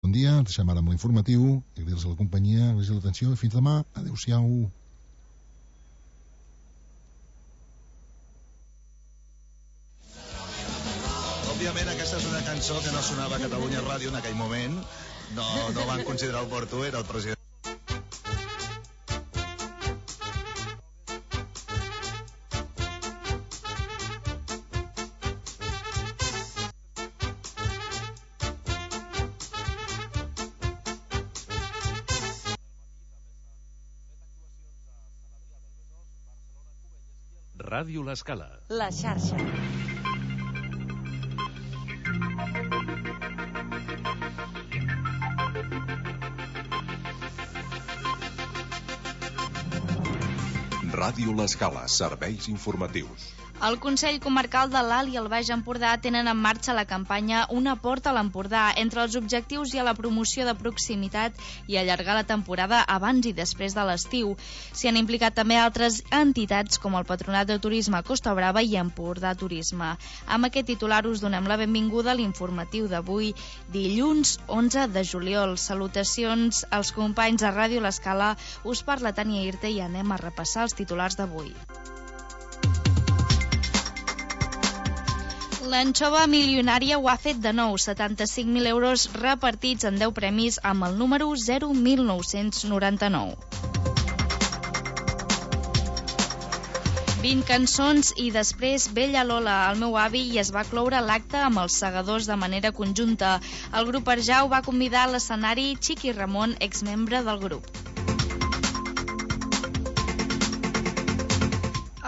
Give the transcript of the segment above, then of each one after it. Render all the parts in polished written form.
Bon dia, ens deixem ara amb l'informatiu, agrair-los a la companyia, agrair-los l'atenció i fins demà. Adéu-siau. Òbviament aquesta és una cançó que no sonava a Catalunya Ràdio en aquell moment. No van considerar oportú, era el president. Ràdio L'Escala. La xarxa. Ràdio L'Escala, serveis informatius. El Consell Comarcal de l'Alt i el Baix Empordà tenen en marxa la campanya Una porta a l'Empordà. Entre els objectius hi ha la promoció de proximitat i allargar la temporada abans i després de l'estiu. S'hi han implicat també altres entitats com el Patronat de Turisme Costa Brava i Empordà Turisme. Amb aquest titular us donem la benvinguda a l'informatiu d'avui, dilluns 11 de juliol. Salutacions als companys de Ràdio L'Escala. Us parla Tània Irte i anem a repassar els titulars d'avui. L'anxova milionària ho ha fet de nou, 75.000 euros repartits en 10 premis amb el número 01999. 20 cançons i després Bella Lola, el meu avi, i es va cloure l'acte amb els segadors de manera conjunta. El grup Arjau va convidar a l'escenari Chiqui Ramon, exmembre del grup.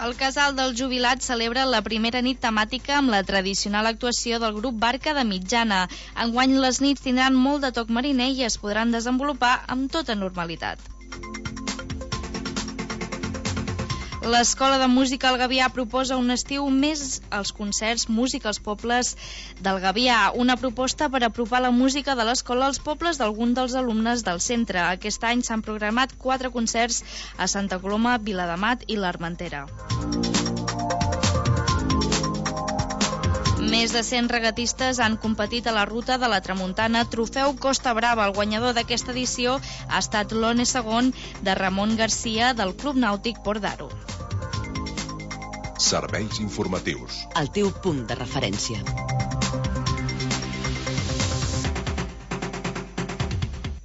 El Casal dels Jubilats celebra la primera nit temàtica amb la tradicional actuació del grup Barca de Mitjana. Enguany les nits tindran molt de toc mariner i es podran desenvolupar amb tota normalitat. L'Escola de Música al Gavià proposa un estiu més als concerts Música als Pobles del Gavià, una proposta per apropar la música de l'escola als pobles d'algun dels alumnes del centre. Aquest any s'han programat 4 concerts a Santa Coloma, Viladamat i l'Armentera. Més de 100 regatistes han competit a la ruta de la Tramuntana Trofeu Costa Brava. El guanyador d'aquesta edició ha estat l'One segon de Ramon Garcia del Club Nàutic Port d'Aro. Serveis informatius. El teu punt de referència.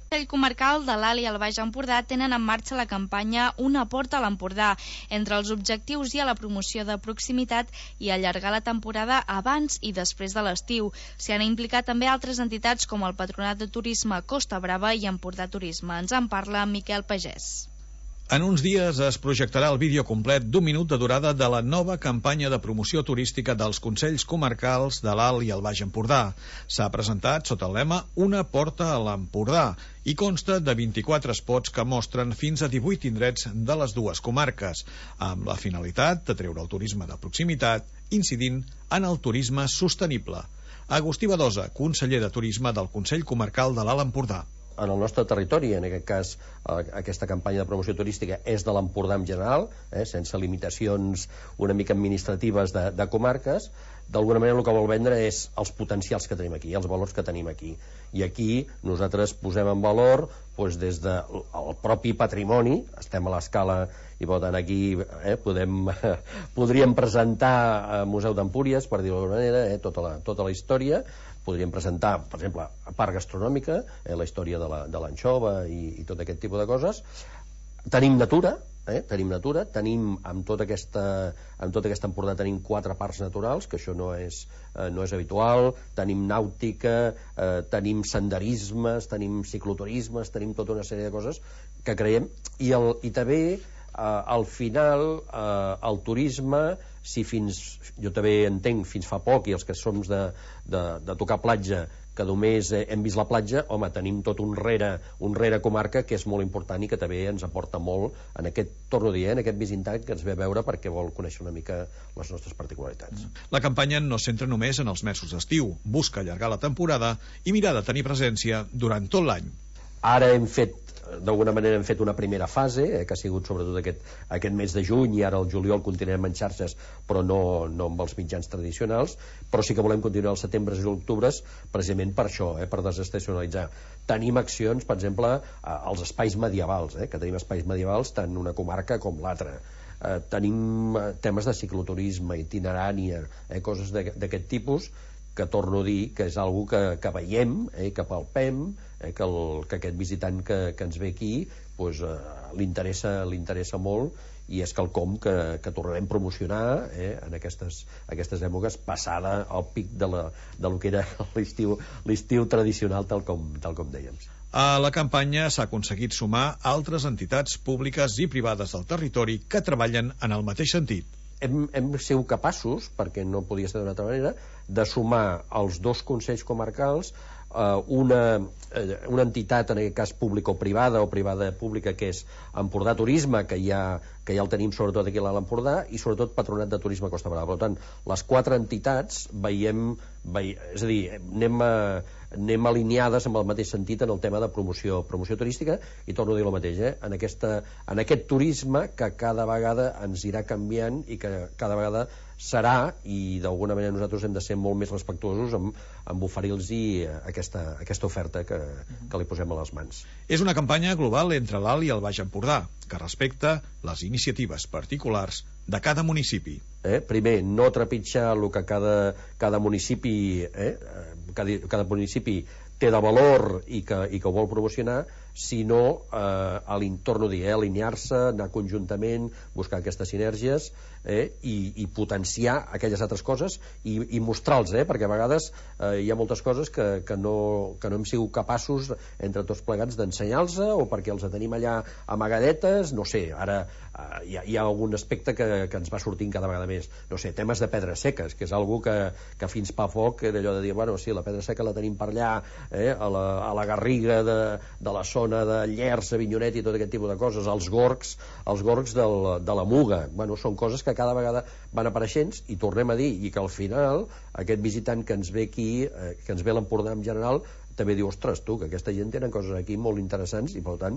El Consell Comarcal de l'Alt i el Baix Empordà tenen en marxa la campanya Una porta a l'Empordà. Entre els objectius hi ha la promoció de proximitat i allargar la temporada abans i després de l'estiu. S'hi han implicat també altres entitats com el Patronat de Turisme Costa Brava i Empordà Turisme. Ens en parla Miquel Pagès. En uns dies es projectarà el vídeo complet d'1 minut de durada de la nova campanya de promoció turística dels Consells Comarcals de l'Alt i el Baix Empordà. S'ha presentat sota el lema Una porta a l'Empordà i consta de 24 spots que mostren fins a 18 indrets de les dues comarques, amb la finalitat de treure el turisme de proximitat, incidint en el turisme sostenible. Agustí Badosa, conseller de Turisme del Consell Comarcal de l'Alt Empordà. En el nostre territori, en aquest cas aquesta campanya de promoció turística és de l'Empordà en general, sense limitacions una mica administratives de comarques. D'alguna manera el que vol vendre és els potencials que tenim aquí, els valors que tenim aquí. I aquí nosaltres posem en valor des del propi patrimoni, estem a l'Escala i per tant aquí podríem presentar al Museu d'Empúries, per dir-ho d'alguna manera, tota la història. Podríem presentar, per exemple, a part gastronòmica, la història de l'anxova i tot aquest tipus de coses. Tenim natura, tenim amb tota aquesta Empordà tenim 4 parcs naturals, que això no és habitual, tenim nàutica, tenim senderismes, tenim cicloturismes, tenim tota una sèrie de coses que creiem, i també al final el turisme, jo també entenc fins fa poc, i els que som de tocar platja, que només hem vist la platja, home, tenim tot un rere comarca que és molt important i que també ens aporta molt en aquest, torno a dir, en aquest visitant que ens ve a veure perquè vol conèixer una mica les nostres particularitats. La campanya no es centra només en els mesos d'estiu, busca allargar la temporada i mirar de tenir presència durant tot l'any. Ara hem fet d'alguna manera hem fet una primera fase, que ha sigut sobretot aquest mes de juny, i ara el juliol continuarem en xarxes, però no amb els mitjans tradicionals, però sí que volem continuar els setembre i octubres precisament per això, per desestacionalitzar. Tenim accions, per exemple, als espais medievals, que tenim espais medievals tant una comarca com l'altra. Tenim temes de cicloturisme, itinerània, coses d'aquest tipus, que torno a dir que és algo que veiem, que palpem, que aquest visitant que ens ve aquí li interessa molt, i és quelcom que tornarem a promocionar en aquestes èpoques, passada el pic de lo que era l'estiu tradicional, tal com dèiem. A la campanya s'ha aconseguit sumar altres entitats públiques i privades del territori que treballen en el mateix sentit. Hem sigut capaços, perquè no podia ser d'una altra manera, de sumar els dos consells comarcals, una entitat, en aquest cas pública o privada pública, que és Empordà Turisme, que ja el tenim sobretot aquí a l'Empordà, i sobretot Patronat de Turisme Costa Brava. Per tant, les 4 entitats és a dir, anem alineades amb el mateix sentit en el tema de promoció turística, i torno a dir el mateix, en aquest turisme que cada vegada ens irà canviant i que cada vegada serà, i d'alguna manera nosaltres hem de ser molt més respectuosos amb oferir-los aquesta oferta que li posem a les mans. És una campanya global entre l'Alt i el Baix Empordà, que respecta les iniciatives particulars de cada municipi. Primer, no trepitjar el que cada municipi té de valor i que ho vol promocionar, sinó a l'entorn, alinear-se, anar conjuntament, buscar aquestes sinergies i potenciar aquelles altres coses i mostrar-los, perquè a vegades hi ha moltes coses que no hem sigut capaços entre tots plegats d'ensenyar-los, o perquè els tenim allà amagadetes, no sé, ara hi ha algun aspecte que ens va sortint cada vegada més, no sé, temes de pedres seques, que és algo que fins fa poc era allò de dir, bueno, sí, la pedra seca la tenim per allà, a la Garriga de la zona de Llers, Avinyonet i tot aquest tipus de coses, els gorgs de la Muga. Bueno, són coses que cada vegada van apareixent, i tornem a dir, i que al final aquest visitant que ens ve aquí, que ens ve a l'Empordà en general, també diu, ostres, tu, que aquesta gent tenen coses aquí molt interessants, i per tant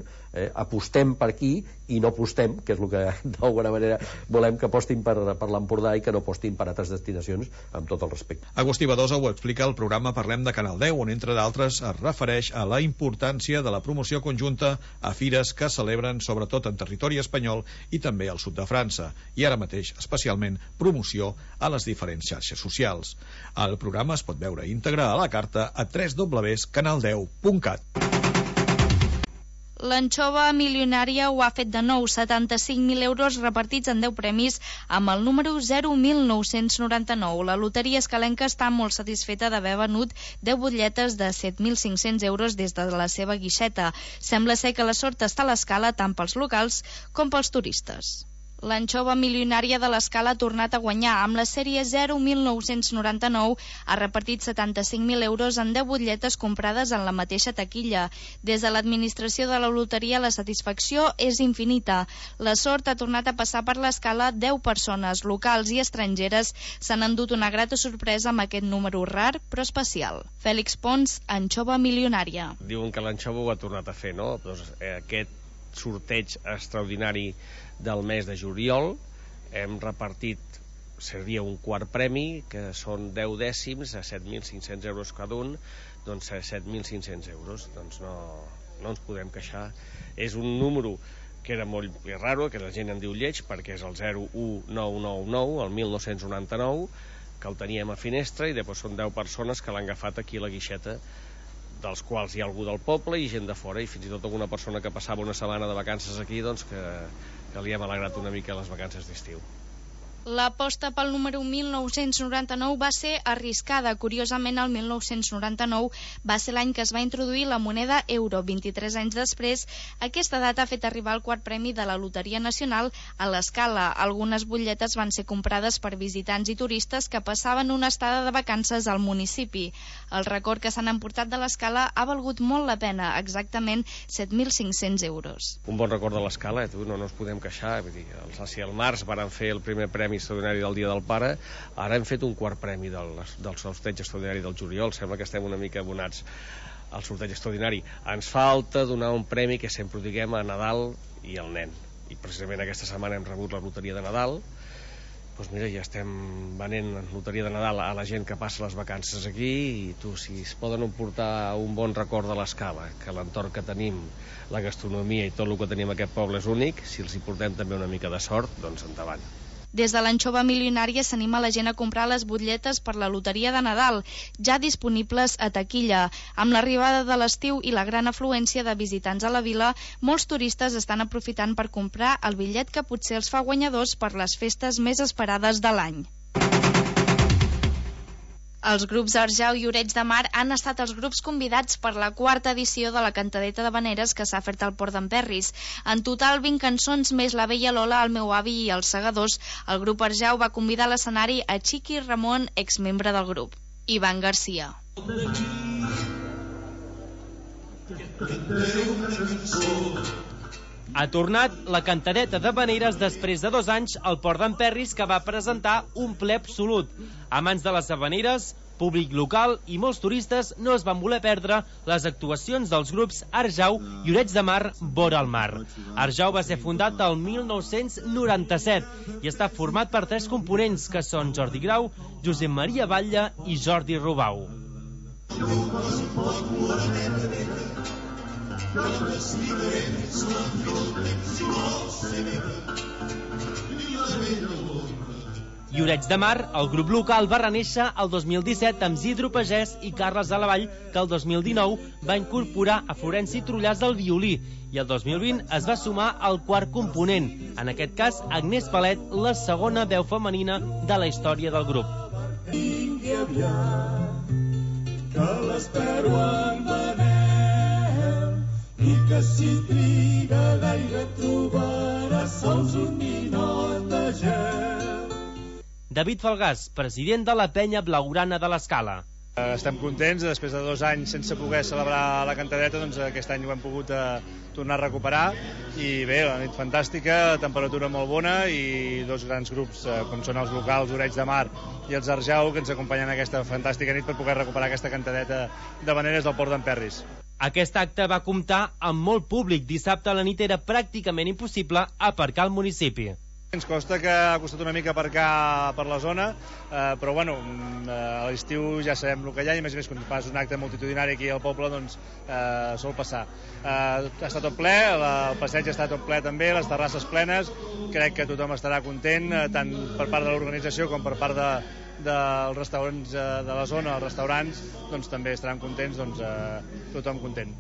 apostem per aquí i no apostem, que és el que d'alguna manera volem, que apostin per l'Empordà i que no apostin per altres destinacions, amb tot el respecte. Agustí Badosa ho explica al programa Parlem de Canal 10, on entre d'altres es refereix a la importància de la promoció conjunta a fires que celebren sobretot en territori espanyol i també al sud de França, i ara mateix especialment promoció a les diferents xarxes socials. El programa es pot veure íntegre a la carta a www.canal10.cat. L'anxova milionària ho ha fet de nou, 75.000 euros repartits en 10 premis amb el número 01999. La loteria escalenca està molt satisfeta d'haver venut 10 butlletes de 7.500 euros des de la seva guixeta. Sembla ser que la sort està a l'escala tant pels locals com pels turistes. L'anxova milionària de l'Escala ha tornat a guanyar. Amb la sèrie 01999 ha repartit 75.000 euros en 10 butlletes comprades en la mateixa taquilla. Des de l'administració de la loteria la satisfacció és infinita. La sort ha tornat a passar per l'Escala. 10 persones, locals i estrangeres, s'han endut una grata sorpresa amb aquest número rar però especial. Fèlix Pons, anxova milionària. Diuen que l'anxova ho ha tornat a fer, no? Doncs aquest sorteig extraordinari del mes de juliol hem repartit, seria un quart premi, que són 10 dècims a 7.500 euros cada un, doncs 7.500 euros, doncs no ens podem queixar. És un número que era molt raro, que la gent en diu lleig, perquè és el 01999, el 1999, que el teníem a finestra, i després són 10 persones que l'han agafat aquí a la guixeta, dels quals hi ha algú del poble i gent de fora, i fins i tot alguna persona que passava una setmana de vacances aquí, doncs que li hem alegrat una mica les vacances d'estiu. L'aposta pel número 1999 va ser arriscada. Curiosament, el 1999 va ser l'any que es va introduir la moneda euro. 23 anys després, aquesta data ha fet arribar el quart premi de la Loteria Nacional a l'Escala. Algunes butlletes van ser comprades per visitants i turistes que passaven una estada de vacances al municipi. El record que s'han emportat de l'Escala ha valgut molt la pena, exactament 7.500 euros. Un bon record de l'Escala, no ens podem queixar. Vull dir, si al març van fer el primer premi extraordinari del Dia del Pare, ara hem fet un quart premi del sorteig extraordinari del juliol. Sembla que estem una mica abonats el sorteig extraordinari. Ens falta donar un premi que sempre ho diguem a Nadal i al nen, i precisament aquesta setmana hem rebut la loteria de Nadal. Doncs mira, ja estem venent loteria de Nadal a la gent que passa les vacances aquí, i tu, si es poden emportar un bon record de l'Escala, que l'entorn que tenim, la gastronomia i tot el que tenim a aquest poble és únic, si els hi portem també una mica de sort, doncs endavant. Des de l'Anxova Milionària s'anima la gent a comprar les butlletes per la loteria de Nadal, ja disponibles a taquilla. Amb l'arribada de l'estiu i la gran afluència de visitants a la vila, molts turistes estan aprofitant per comprar el bitllet que potser els fa guanyadors per les festes més esperades de l'any. Els grups Arjau i Lloret de Mar han estat els grups convidats per la 4ª edició de la cantadeta d'havaneres que s'ha fet al Port d'Emperris. En total, 20 cançons més La vella Lola, El meu avi i Els segadors. El grup Arjau va convidar a l'escenari a Chiqui Ramon, exmembre del grup. Ivan Garcia. Ha tornat la cantadeta d'havaneres després de 2 anys al Port d'Emperris, que va presentar un ple absolut. Amants de les havaneres, públic local i molts turistes no es van voler perdre les actuacions dels grups Arjau i Lloret de Mar, vora el mar. Arjau va ser fundat el 1997 i està format per 3 components, que són Jordi Grau, Josep Maria Batlle i Jordi Rubau. Lloret de Mar, el grup local, va renéixer el 2017 amb Isidro Pagès i Carles Alavall, que el 2019 va incorporar a Florenci Trullàs del violí, i el 2020 es va sumar al 4 component, en aquest cas Agnès Palet, la segona veu femenina de la història del grup. Vingui aviat, que l'espero en Manel, i que si triga gaire trobarà sols un ninot de gel. David Falgàs, president de la penya blaugrana de l'Escala. Estem contents, després de 2 anys sense poder celebrar la cantadeta, doncs aquest any ho hem pogut tornar a recuperar, i bé, la nit fantàstica, temperatura molt bona, i 2 grans grups, com són els locals, Lloret de Mar i els Arjau, que ens acompanyen aquesta fantàstica nit per poder recuperar aquesta cantadeta d'havaneres del Port d'Emperris. Aquest acte va comptar amb molt públic. Dissabte a la nit era pràcticament impossible aparcar al municipi. Ens costa, que ha costat una mica aparcar per la zona, però bueno, a l'estiu ja sabem el que hi ha, i a més quan fas un acte multitudinari aquí al poble, doncs sol passar. Ha estat tot ple, el passeig ha estat tot ple també, les terrasses plenes, crec que tothom estarà content, tant per part de l'organització com per part dels restaurants de la zona, els restaurants, doncs també estaran contents, doncs tothom content.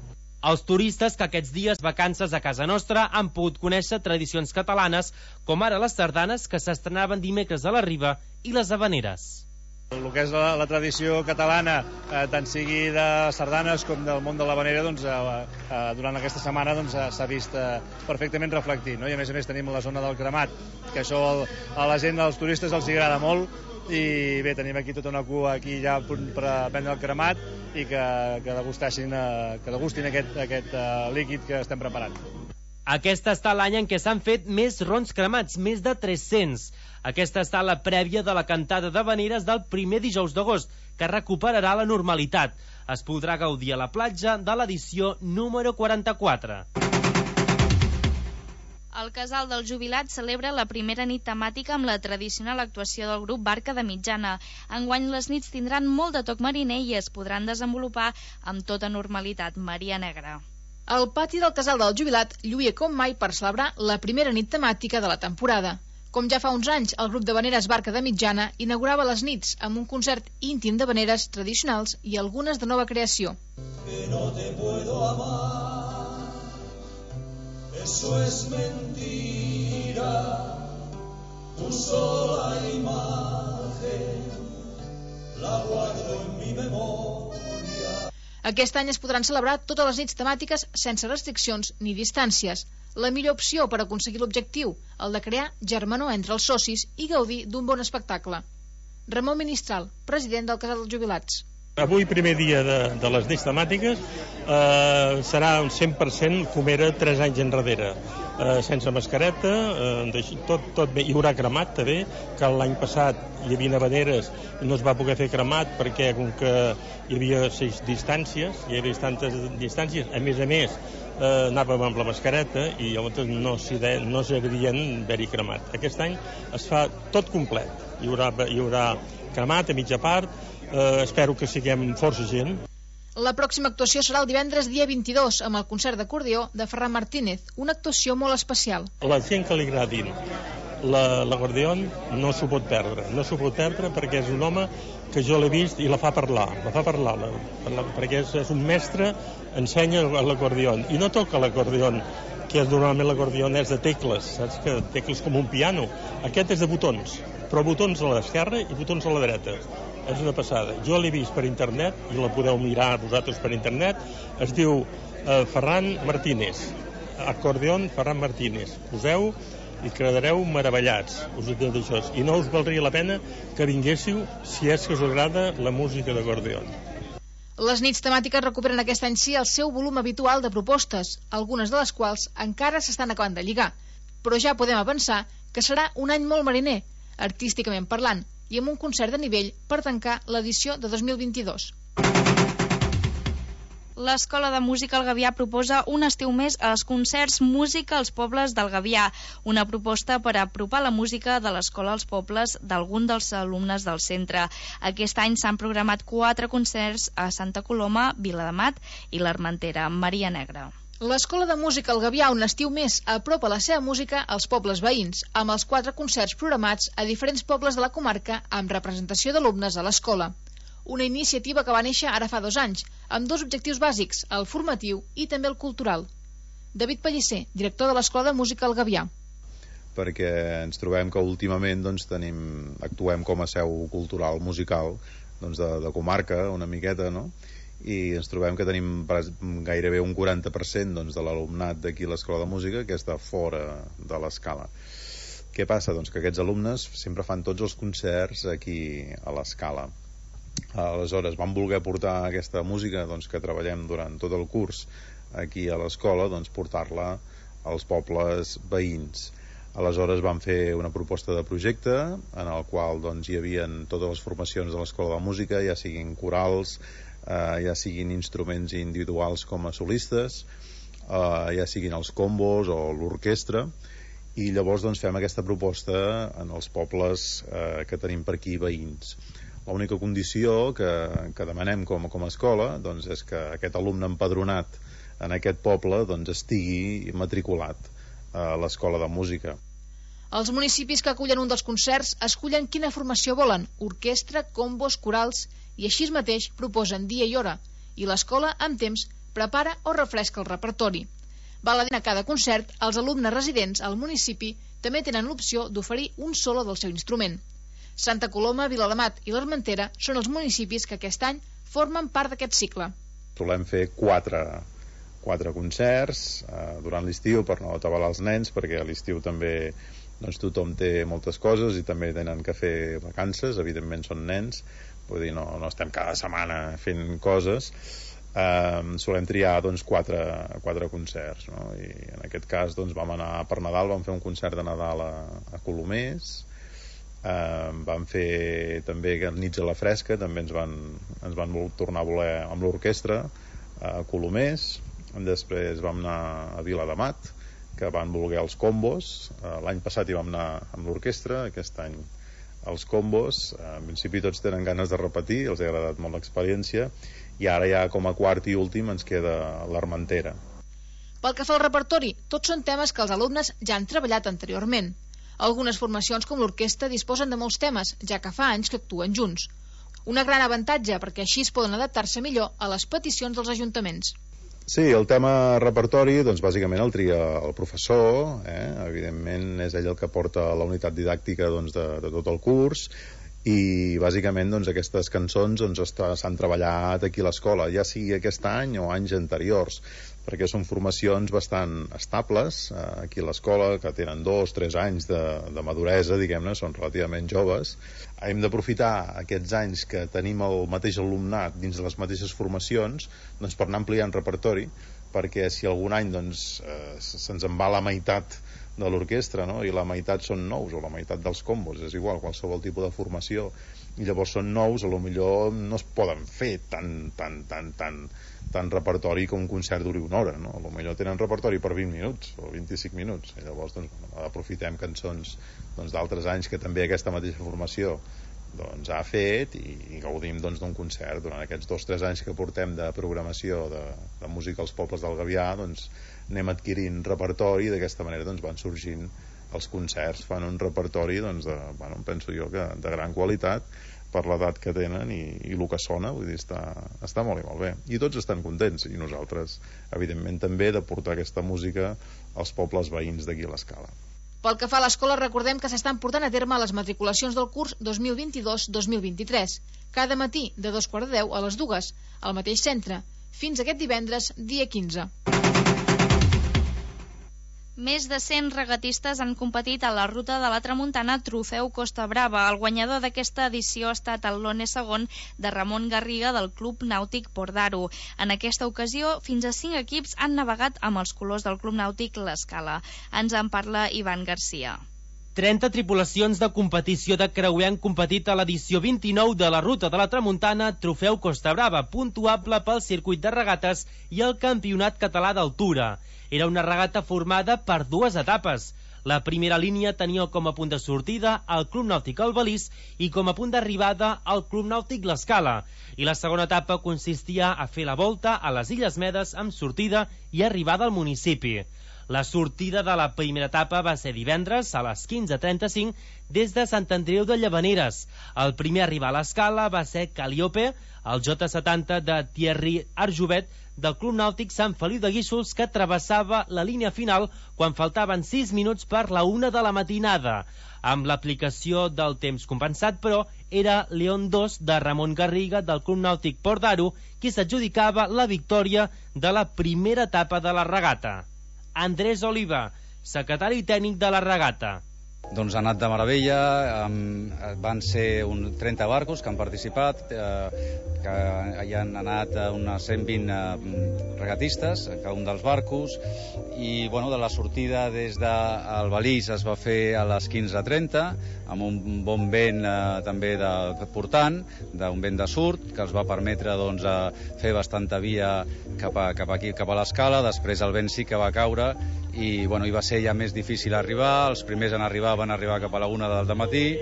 Els turistes que aquests dies vacances a casa nostra han pogut conèixer tradicions catalanes, com ara les sardanes, que s'estrenaven dimecres a la Riba, i les havaneres. El que és la tradició catalana, tant sigui de sardanes com del món de l'havanera, doncs, durant aquesta setmana s'ha vist perfectament reflectit, no? I a més tenim la zona del cremat, que això a la gent, als turistes, els agrada molt, i bé, tenim aquí tota una cua aquí ja per prendre el cremat i que degustin aquest líquid que estem preparant. Aquest ha estat l'any en què s'han fet més rons cremats, més de 300. Aquesta ha estat la prèvia de la cantada d'havaneres del primer dijous d'agost, que recuperarà la normalitat. Es podrà gaudir a la platja de l'edició número 44. El Casal del Jubilat celebra la primera nit temàtica amb la tradicional actuació del grup Barca de Mitjana. Enguany les nits tindran molt de toc mariner i es podran desenvolupar amb tota normalitat. Maria Negra. El pati del Casal del Jubilat lluïa com mai per celebrar la primera nit temàtica de la temporada. Com ja fa uns anys, el grup d'havaneres Barca de Mitjana inaugurava les nits amb un concert íntim d'havaneres tradicionals i algunes de nova creació. Que no te puedo amar. Eso es mentira, tu sola imagen, la guardo en mi memoria. Aquest any es podran celebrar totes les nits temàtiques sense restriccions ni distàncies. La millor opció per aconseguir l'objectiu, el de crear germanor entre els socis i gaudir d'un bon espectacle. Ramon Ministral, president del Casal dels Jubilats. Avui, primer dia de les nits temàtiques, serà un 100% com era 3 anys enrere. sense mascareta, tot bé. Hi haurà cremat també, que l'any passat hi havia habaneres i no es va poder fer cremat perquè com que hi havia 6 distàncies, hi havia tantes distàncies, a més anàvem amb la mascareta i llavors no s'havien haver-hi cremat. Aquest any es fa tot complet, hi haurà cremat a mitja part, espero que siguem força gent. La pròxima actuació serà el divendres dia 22 amb el concert d'acordió de Ferran Martínez, una actuació molt especial. La gent que li agradin l'acordió no s'ho pot perdre perquè és un home que jo l'he vist i la fa parlar perquè és un mestre, ensenya l'acordió i no toca l'acordió que normalment l'acordió és de tecles, saps que tecles com un piano, aquest és de botons, però botons a l'esquerra i botons a la dreta. És una passada. Jo l'he vist per internet i la podeu mirar vosaltres per internet. Es diu Ferran Martínez, acordeon Ferran Martínez. Poseu i quedareu meravellats, us ho dic d'això. I no us valdria la pena que vinguéssiu si és que us agrada la música d'acordeon. Les nits temàtiques recuperen aquest any sí el seu volum habitual de propostes, algunes de les quals encara s'estan acabant de lligar. Però ja podem avançar que serà un any molt mariner, artísticament parlant, i amb un concert de nivell per tancar l'edició de 2022. L'Escola de Música El Gavià proposa un estiu més als concerts Música als Pobles del Gavià, una proposta per apropar la música de l'escola als pobles d'algun dels alumnes del centre. Aquest any s'han programat 4 concerts a Santa Coloma, Viladamat i l'Armentera, Maria Negra. L'Escola de Música El Gavià, un estiu més, apropa la seva música als pobles veïns, amb els 4 concerts programats a diferents pobles de la comarca amb representació d'alumnes a l'escola. Una iniciativa que va néixer ara fa 2 anys, amb 2 objectius bàsics, el formatiu i també el cultural. David Pellicer, director de l'Escola de Música El Gavià. Perquè ens trobem que últimament actuem com a seu cultural musical de comarca, una miqueta, no? I ens trobem que tenim gairebé un 40% de l'alumnat d'aquí a l'Escola de Música que està fora de l'escala. Què passa? Doncs que aquests alumnes sempre fan tots els concerts aquí a l'escala. Aleshores vam voler portar aquesta música que treballem durant tot el curs aquí a l'escola, portar-la als pobles veïns. Aleshores vam fer una proposta de projecte en el qual hi havia totes les formacions de l'Escola de Música, ja siguin corals, ja siguin instruments individuals com a solistes, ja siguin els combos o l'orquestra, i llavors fem aquesta proposta en els pobles que tenim per aquí veïns. L'única condició que demanem com a escola és que aquest alumne empadronat en aquest poble estigui matriculat a l'Escola de Música. Els municipis que acullen un dels concerts escullen quina formació volen, orquestra, combos, corals, i així mateix proposen dia i hora, i l'escola, amb temps, prepara o refresca el repertori. Val a dir a cada concert, els alumnes residents al municipi també tenen l'opció d'oferir un solo del seu instrument. Santa Coloma, Viladamat i l'Armentera són els municipis que aquest any formen part d'aquest cicle. Solem fer 4 concerts durant l'estiu per no atabalar els nens, perquè a l'estiu també tothom té moltes coses i també tenen que fer vacances, evidentment són nens, vull dir, no estem cada setmana fent coses. Solem triar 4 concerts, no? I en aquest cas vam anar per Nadal, vam fer un concert de Nadal a Colomers, vam fer també Nits a la Fresca, també ens van tornar a voler amb l'orquestra a Colomers. Després vam anar a Viladamat, que van voler els combos. L'any passat hi vam anar amb l'orquestra, aquest any els combos. En principi tots tenen ganes de repetir, els ha agradat molt l'experiència, i ara ja com a quart i últim ens queda l'Armentera. Pel que fa al repertori, tots són temes que els alumnes ja han treballat anteriorment. Algunes formacions com l'orquestra disposen de molts temes, ja que fa anys que actuen junts. Un gran avantatge, perquè així es poden adaptar-se millor a les peticions dels ajuntaments. Sí, el tema repertori, bàsicament el tria el professor, evidentment és ell el que porta la unitat didàctica de tot el curs, i bàsicament aquestes cançons s'han treballat aquí a l'escola, ja sigui aquest any o anys anteriors, perquè són formacions bastant estables aquí a l'escola, que tenen 2-3 anys de maduresa, diguem-ne, són relativament joves. Hem d'aprofitar aquests anys que tenim el mateix alumnat dins de les mateixes formacions per anar ampliant repertori, perquè si algun any doncs, se'ns en va la meitat de l'orquestra, no? I la meitat són nous, o la meitat dels combos, és igual, qualsevol tipus de formació, i llavors són nous, a lo millor no es poden fer tant repertori com un concert duri una hora, no? A lo millor tenen repertori per 20 minuts o 25 minuts, i llavors doncs, aprofitem cançons doncs, d'altres anys que també aquesta mateixa formació doncs, ha fet i gaudim doncs, d'un concert durant aquests 2 o 3 anys que portem de programació de música als pobles del Gavià, doncs anem adquirint repertori i d'aquesta manera doncs, van sorgint els concerts, fan un repertori doncs, penso jo que de gran qualitat per l'edat que tenen i el que sona, vull dir, està molt i molt bé i tots estan contents i nosaltres evidentment també de portar aquesta música als pobles veïns d'aquí a l'Escala. Pel que fa a l'escola, recordem que s'estan portant a terme les matriculacions del curs 2022-2023, cada matí de 2:45 a les 2, al mateix centre, fins aquest divendres, dia 15. Més de 100 regatistes han competit a la Ruta de la Tramuntana Trofeu Costa Brava. El guanyador d'aquesta edició ha estat el Lone segon de Ramon Garriga del Club Nàutic Port d'Aro. En aquesta ocasió, fins a 5 equips han navegat amb els colors del Club Nàutic L'Escala. Ens en parla Ivan Garcia. 30 tripulacions de competició de creuer han competit a l'edició 29 de la Ruta de la Tramuntana Trofeu Costa Brava, puntuable pel circuit de regates i el Campionat Català d'Altura. Era una regata formada per 2 etapes. La primera línia tenia com a punt de sortida el Club Nàutic Albalís i com a punt d'arribada el Club Nàutic L'Escala. I la segona etapa consistia a fer la volta a les Illes Medes amb sortida i arribada al municipi. La sortida de la primera etapa va ser divendres a les 15:35 des de Sant Andreu de Llavaneres. El primer a arribar a l'Escala va ser Calliope, el J70 de Thierry Arjovet del Club Nàutic Sant Feliu de Guíxols, que travessava la línia final quan faltaven 6 minuts per la 1 de la matinada. Amb l'aplicació del temps compensat, però, era León 2 de Ramon Garriga del Club Nàutic Port d'Aro qui s'adjudicava la victòria de la primera etapa de la regata. Andrés Oliva, secretari tècnic de la regata. Doncs ha anat de meravella, van ser 30 barcos que han participat, que hi han anat unes 120 regatistes, cada un dels barcos, i bueno, de la sortida des d'Albalís es va fer a les 15:30, amb un bon vent també portant, d'un vent de surt, que els va permetre doncs, fer bastanta via cap aquí, cap a l'Escala. Després el vent sí que va caure i bueno, hi va ser ja més difícil arribar. Els primers van arribar cap a la 1 del matí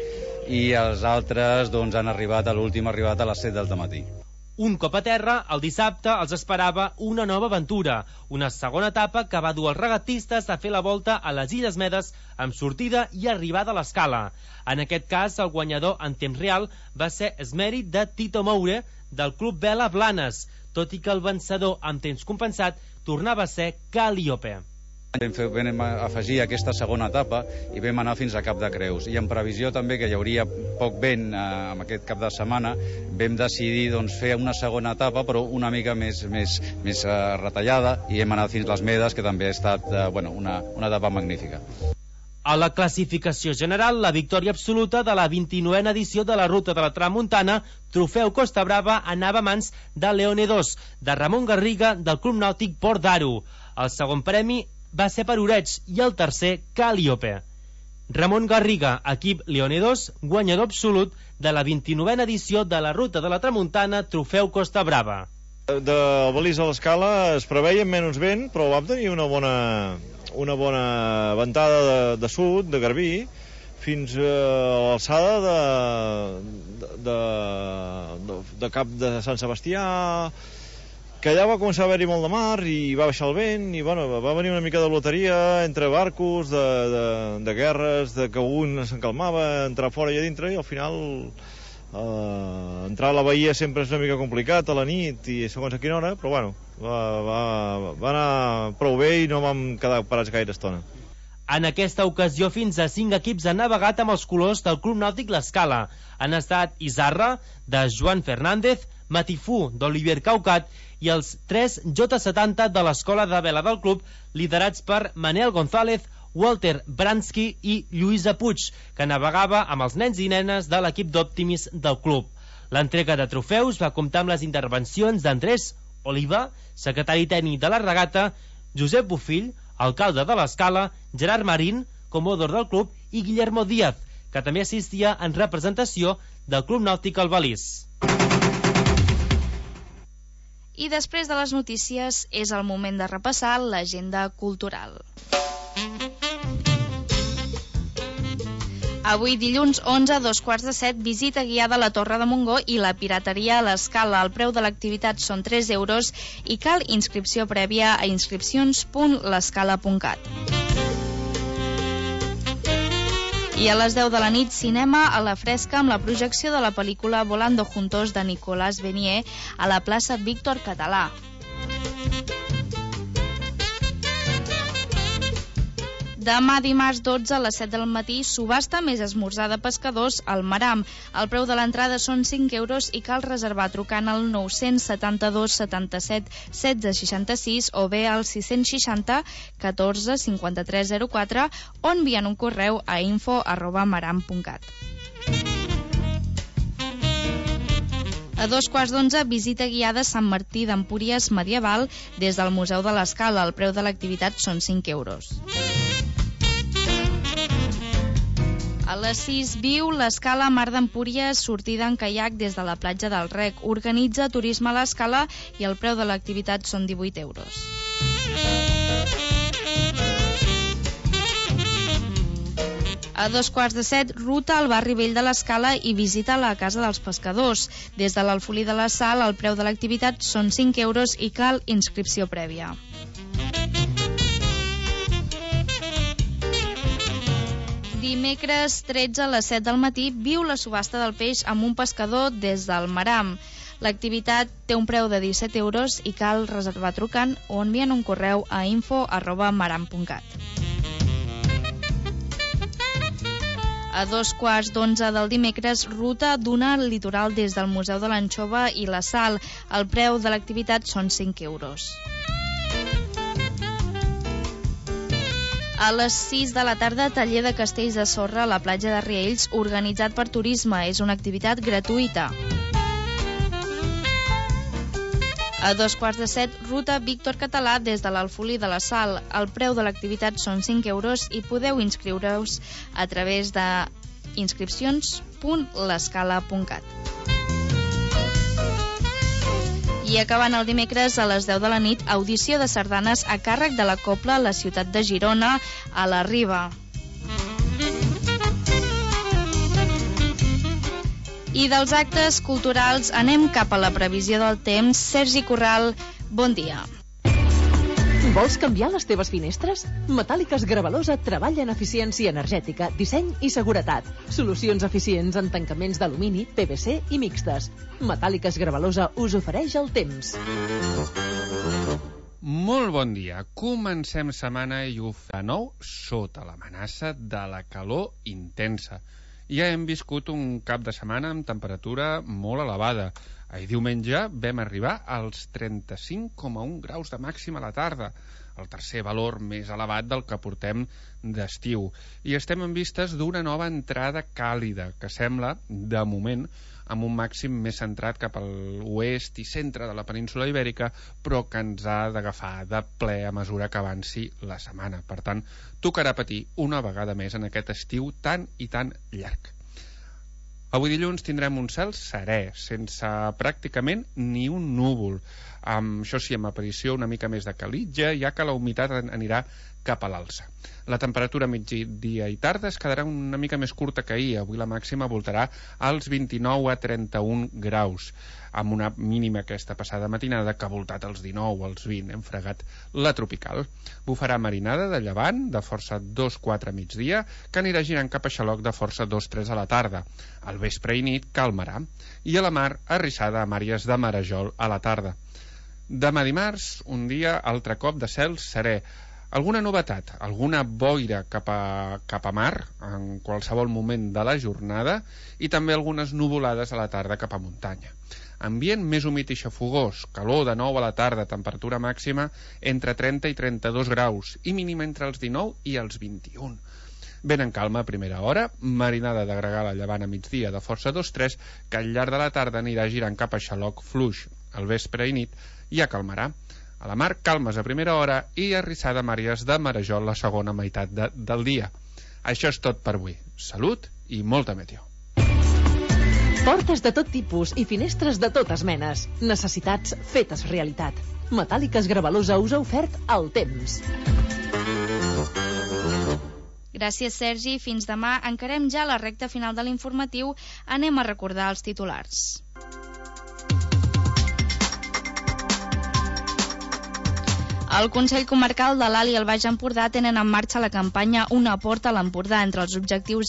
i els altres doncs, han arribat a l'últim arribat a les 7 del matí. Un cop a terra, el dissabte els esperava una nova aventura, una segona etapa que va dur els regatistes a fer la volta a les Illes Medes amb sortida i arribada a l'Escala. En aquest cas, el guanyador en temps real va ser Esmèrit de Tito Moure del Club Vela Blanes, tot i que el vencedor en temps compensat tornava a ser Calliope. Vam afegir aquesta segona etapa i vam anar fins a Cap de Creus, i en previsió també que hi hauria poc vent en aquest cap de setmana vam decidir doncs, fer una segona etapa però una mica més retallada, i hem anat fins les Medes, que també ha estat una etapa magnífica. A la classificació general, la victòria absoluta de la 29a edició de la Ruta de la Tramuntana Trofeu Costa Brava anava a mans de Leone 2 de Ramon Garriga del Club Nàutic Port d'Aro. El segon premi va ser per Oreig i el tercer Calliope. Ramon Garriga, equip Leone 2, guanyador absolut de la 29a edició de la Ruta de la Tramuntana Trofeu Costa Brava. De Balís a l'Escala es preveia menys vent, però vam tenir una bona ventada de sud, de Garbí, fins a l'alçada de Cap de Sant Sebastià, que allà va començar a haver-hi molt de mar i va baixar el vent i bueno, va venir una mica de loteria entre barcos, de guerres, de que un s'encalmava, entrar fora i a dintre, i al final entrar a la bahia sempre és una mica complicat a la nit i segons a quina hora, però bueno, va anar prou bé i no vam quedar parats gaire estona. En aquesta ocasió, fins a 5 equips han navegat amb els colors del Club Nàutic L'Escala. Han estat Isarra, de Joan Fernández, Matifú, d'Olivier Caucat, i els 3 J70 de l'Escola de Vela del club, liderats per Manel González, Walter Bransky i Lluïsa Puig, que navegava amb els nens i nenes de l'equip d'Optimis del club. L'entrega de trofeus va comptar amb les intervencions d'Andrés Oliva, secretari tècnic de la regata, Josep Bofill, alcalde de l'Escala, Gerard Marín, comodor del club, i Guillermo Díaz, que també assistia en representació del Club Nàutic Albalís. I després de les notícies és el moment de repassar l'agenda cultural. Avui dilluns 11 a 2:15, visita guiada a la Torre de Montgó i la pirateria a l'Escala. El preu de l'activitat són 3 euros i cal inscripció prèvia a inscripcions.lescala.cat. I a les 10 de la nit, cinema a la fresca amb la projecció de la pel·lícula Volando Juntos de Nicolas Venier a la plaça Víctor Català. Demà dimarts 12 a les 7 del matí, subhasta més esmorzar de pescadors al Maram. El preu de l'entrada són 5 euros i cal reservar trucant al 972 77 16 66 o bé al 660 14 53 04 o enviant un correu a info@maram.cat. A 2:15, visita guiada a Sant Martí d'Empúries medieval des del Museu de l'Escala. El preu de l'activitat són 5 euros. A les 6, viu l'Escala Mar d'Empúries, sortida en caiac des de la platja del Rec. Organitza Turisme a l'Escala i el preu de l'activitat són 18 euros. A 2:15, ruta al barri vell de l'Escala i visita la Casa dels Pescadors. Des de l'Alfolí de la Sal, el preu de l'activitat són 5 euros i cal inscripció prèvia. Dimecres 13 a les 7 del matí, viu la subhasta del peix amb un pescador des del Maram. L'activitat té un preu de 17 euros i cal reservar trucant o enviant un correu a info@maram.cat. A 2:15 del dimecres, ruta d'una al litoral des del Museu de l'Anxova i la Sal. El preu de l'activitat són 5 euros. A les 6 de la tarda, taller de castells de sorra a la platja de Riells, organitzat per Turisme. És una activitat gratuïta. A 2:15, ruta Víctor Català des de l'Alfolí de la Sal. El preu de l'activitat són 5 euros i podeu inscriure-us a través de inscripcions.lescala.cat. I acabant el dimecres a les 10 de la nit, audició de sardanes a càrrec de la Cobla a la ciutat de Girona, a la Riba. I dels actes culturals anem cap a la previsió del temps. Sergi Corral, bon dia. Vols canviar les teves finestres? Metàl·liques Gravalosa treballa en eficiència energètica, disseny i seguretat. Solucions eficients en tancaments d'alumini, PVC i mixtes. Metàl·liques Gravalosa us ofereix el temps. Molt bon dia. Comencem setmana i ho fa de nou sota l'amenaça de la calor intensa. Ja hem viscut un cap de setmana amb temperatura molt elevada. Ahir diumenge vam arribar als 35,1 graus de màxima a la tarda, el tercer valor més elevat del que portem d'estiu. I estem en vistes d'una nova entrada càlida, que sembla, de moment, amb un màxim més centrat cap a l'oest i centre de la península Ibèrica, però que ens ha d'agafar de ple a mesura que avanci la setmana. Per tant, tocarà patir una vegada més en aquest estiu tan i tan llarg. Avui dilluns tindrem un cel serè, sense pràcticament ni un núvol. Això sí, amb aparició una mica més de calitja, ja que la humitat anirà cap a l'alça. La temperatura migdia i tarda es quedarà una mica més curta que ahir. Avui la màxima voltarà als 29 a 31 graus, amb una mínima aquesta passada matinada que ha voltat als 19, als 20. Hem fregat la tropical. Bufarà marinada de llevant, de força 2-4 a migdia, que anirà girant cap a xaloc de força 2-3 a la tarda. Al vespre i nit calmarà. I a la mar, arrissada amb àrees de marejol a la tarda. Demà dimarts, un dia altre cop de cel serè. Alguna novetat, alguna boira cap a mar en qualsevol moment de la jornada i també algunes nuvolades a la tarda cap a muntanya. Ambient més humit i xafogós, calor de nou a la tarda, temperatura màxima entre 30 i 32 graus i mínima entre els 19 i els 21. Vent en calma a primera hora, marinada de gregal a llevant a migdia de força 2-3, que al llarg de la tarda anirà girant cap a xaloc fluix. Al vespre i nit ja calmarà. A la mar, calmes a primera hora i arrissada màries de marejol la segona meitat del dia. Això és tot per avui. Salut i molta meteo. Portes de tot tipus i finestres de totes menes. Necessitats fetes realitat. Metàl·liques Gravalosa us ha ofert el temps. Gràcies, Sergi. Fins demà. Encarem ja la recta final de l'informatiu. Anem a recordar els titulars. El Consell Comarcal de l'Alt i el Baix Empordà tenen en marxa la campanya Una porta a l'Empordà. Entre els objectius